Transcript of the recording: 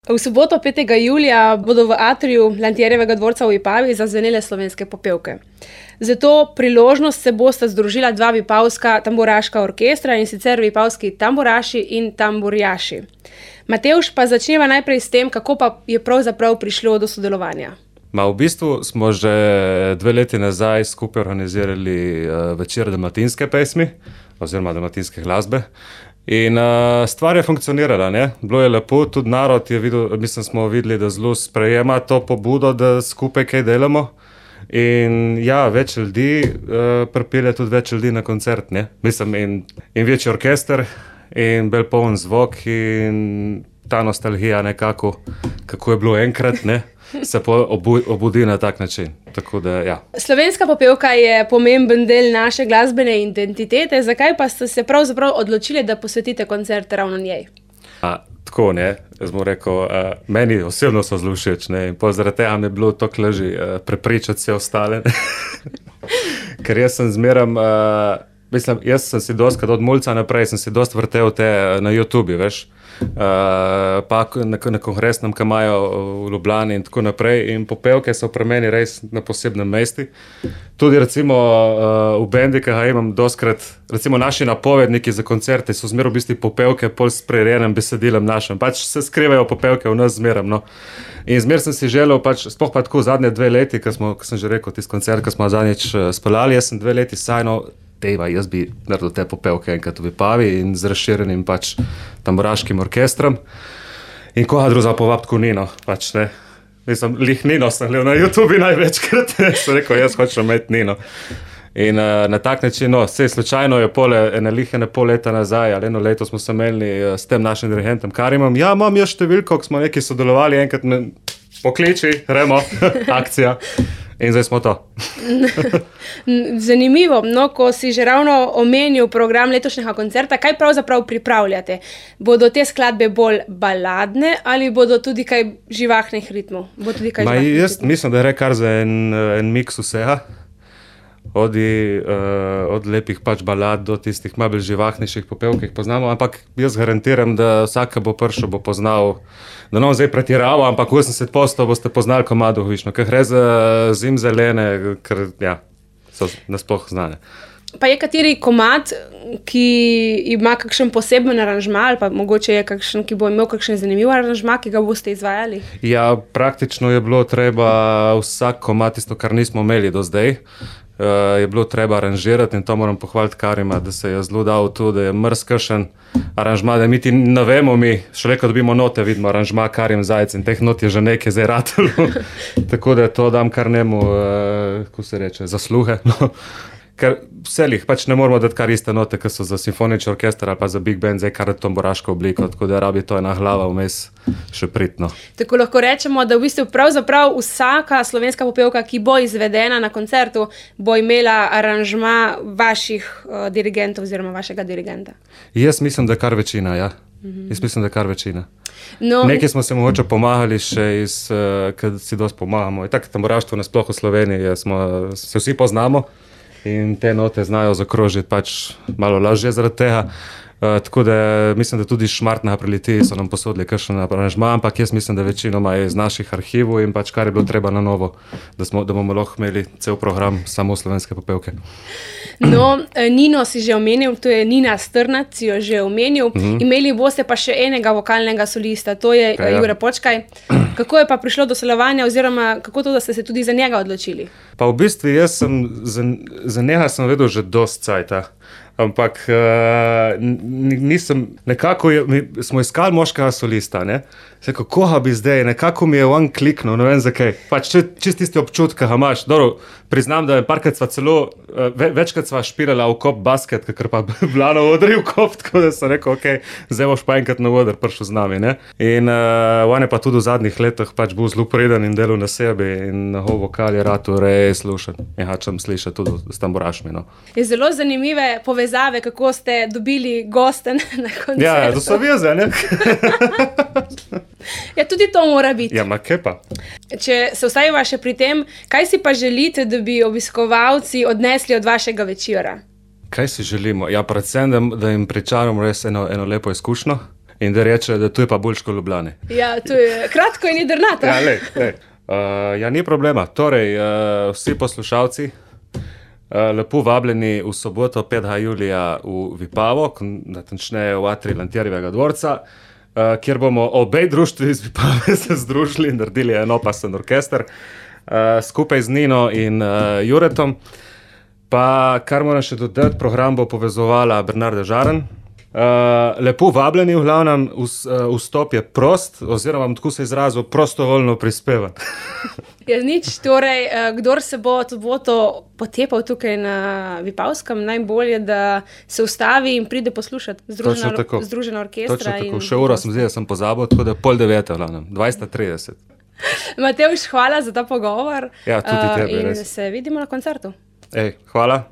V soboto 5. julija bodo v atriju Lantjerjevega dvorca v Vipavi zazvenele slovenske popevke. Za to priložnost se bosta združila dva vipavska tamburaška orkestra, in sicer vipavski tamburaši in tamburjaši. Matevž, pa začneva najprej s tem, kako pa je pravzaprav prišlo do sodelovanja. V bistvu smo že 2 leti nazaj skupaj organizirali večer dalmatinske pesmi oziroma dalmatinske glasbe. In stvar je funkcionirala, ne? Bilo je lepo, tudi narod je videl, smo videli, da zelo sprejema to pobudo, da skupaj kaj delamo. In ja, več ljudi pripelje tudi več ljudi na koncert, ne? In večji orkester in bolj poln zvok in ta nostalgija nekako, kako je bilo enkrat, ne? Se obudi na tak način. Tako da, ja. Slovenska popevka je pomemben del naše glasbene identitete, zakaj pa ste se pravzaprav odločili, da posvetite koncert ravno njej? Tako, ne, jaz bom rekel, meni osebno so zelo všeč, ne, in zaradi tega mi je bilo toliko lažje prepričati vse ostale. Ker jaz sem zmeram, jaz sem si dostikrat od mulca naprej, sem si dosti vrtel te na YouTubi, veš. Pa na kongresnem, ki imajo v Ljubljani in tako naprej, in popevke so pri meni res na posebnem mestu. Tudi recimo v bendi, ki ga imam dostikrat, recimo naši napovedniki za koncerte so zmeraj v bistvu popevke pol s prirejenim besedilom našim, pač se skrivajo popevke v nas zmeraj, no. In zmeraj sem si želel, pač sploh pa tako zadnje 2 leti, ko sem že rekel, tisti koncert, ko smo zadnjič speljali, jaz sem 2 leti sajno, jaz bi naredil te popevke enkrat v Vipavi in z razširjenim pač tamburaškim orkestrom. In koga druga povabiti kot Nino, pač ne. Lih Nino sem gledal na YouTubi največkrat, sem rekel, jaz hočem imeti Nino. In na tak način, vse slučajno je ene pol leta nazaj, ali 1 leto smo se menili s tem našim dirigentom Karimom. Ja, imam jaz številko, ko smo nekaj sodelovali, enkrat me pokliči, gremo, akcija. In zdaj smo to. Zanimivo, no, ko si že ravno omenil program letošnjega koncerta, kaj pravzaprav pripravljate? Bodo te skladbe bolj baladne ali bodo tudi kaj živahnih ritmov? Jaz mislim, da je kar za en miks vsega. Od lepih pač balad do tistih malo bolj živahnejših popevk, ki jih poznamo, ampak jaz garantiram, da vsak, ki bo prišel, bo poznal, da ne bom zdaj pretiraval, ampak 80% boste poznali komado Višnjo, ker gre za zimzelene, ker ja, so nasploh znane. Pa je kateri komad, ki ima kakšen poseben aranžma, ali pa mogoče je kakšen, ki bo imel kakšen zanimiv aranžma, ki ga boste izvajali? Ja, praktično je bilo treba vsak komad, tisto, kar nismo imeli do zdaj, je bilo treba aranžirati, in to moram pohvaliti Karima, da se je zelo dal tu, da je mrzkašen aranžma, da mi ti ne vemo, šele ko dobimo note, vidimo aranžma Karim Zajec, in teh not je že nekaj zdaj ratalo. Tako da to dam kar njemu, kako se reče, zasluhe. No. Ker vselih pač ne moramo dati kar iste note, ki so za simfonični orkester ali pa za big band, zdaj kar tamburaško obliko, tako da rabi to ena glava vmes še pritno. Tako lahko rečemo, da v bistvu pravzaprav vsaka slovenska popevka, ki bo izvedena na koncertu, bo imela aranžma vaših dirigentov oziroma vašega dirigenta. Jaz mislim, da kar večina, ja. Jaz mislim, da kar večina. No. Nekaj smo se mogoče pomagali še ker si dosti pomagamo. In tako tamburaštvo nasploh v Sloveniji, se vsi poznamo. In te note znajo zakrožiti pač malo lažje zaradi tega. Tako da mislim, da tudi Šmartnega pri Litiji so nam posodili kakšen aranžma, ampak jaz mislim, da večinoma je iz naših arhivov in pač kar je bilo treba na novo, da bomo lahko imeli cel program samo slovenske popevke. No, Nino si že omenil, to je Nina Strnac, si jo že omenil. Imeli boste pa še enega vokalnega solista, to je Jure Počkaj. Kako je pa prišlo do sodelovanja oziroma kako to, da ste se tudi za njega odločili? Pa v bistvu jaz sem za njega sem vedel že dosti cajta. Ampak nekako smo iskali moškega solista, ne. Rekel, koga bi zdaj, nekako mi je on kliknil, ne vem zakaj. Pač čist tisti občutek, ga imaš. Dobro, priznam, da parkrat sva celo, večkrat sva špirala v kop basket, ker pa bila na odri v kop, tako da sem rekel, okej, zdaj boš pa enkrat na odr prišel z nami, ne. In on je pa tudi v zadnjih letih pač bil zelo preden in delal na sebi in njegov vokal je rad res slušen. In hočem slišati tudi s tamburašmi, no. Je zelo zanimive povezave, kako ste dobili goste na koncertu. Ja, to so veze, ne. Ja, tudi to mora biti. Ja, ma kaj pa? Če se ustavimo še pri tem, kaj si pa želite, da bi obiskovalci odnesli od vašega večera? Kaj si želimo? Ja, predvsem, da jim pričaramo res eno lepo izkušnjo. in da reče, da tu je pa boljš kot Ljubljani. Ja, to je kratko in jedrnato. Ja, lej. Ja, ni problema. Torej, vsi poslušalci, lepo vabljeni v soboto 5. julija v Vipavo, natančneje v atriju Lantjerjevega dvorca, kjer bomo obe društvi iz Vipave se združili in naredili enopasen orkester, skupaj z Nino in Juretom. Pa, kar moram še dodati, program bo povezovala Bernarda Žaren. Lepo vabljeni, v glavnem, vstop je prost, oziroma tako se izrazil, prostovoljno prispevan. Ja, nič, torej, kdor se bo potepal tukaj na Vipavskem, najbolje, da se ustavi in pride poslušati združena orkestra. Točno tako, še uro sem zdaj, sem pozabil, tako da 8:30, v glavnem, 20:30. Matevž, hvala za ta pogovor. Ja, tudi tebi, in res. se vidimo na koncertu. Hvala.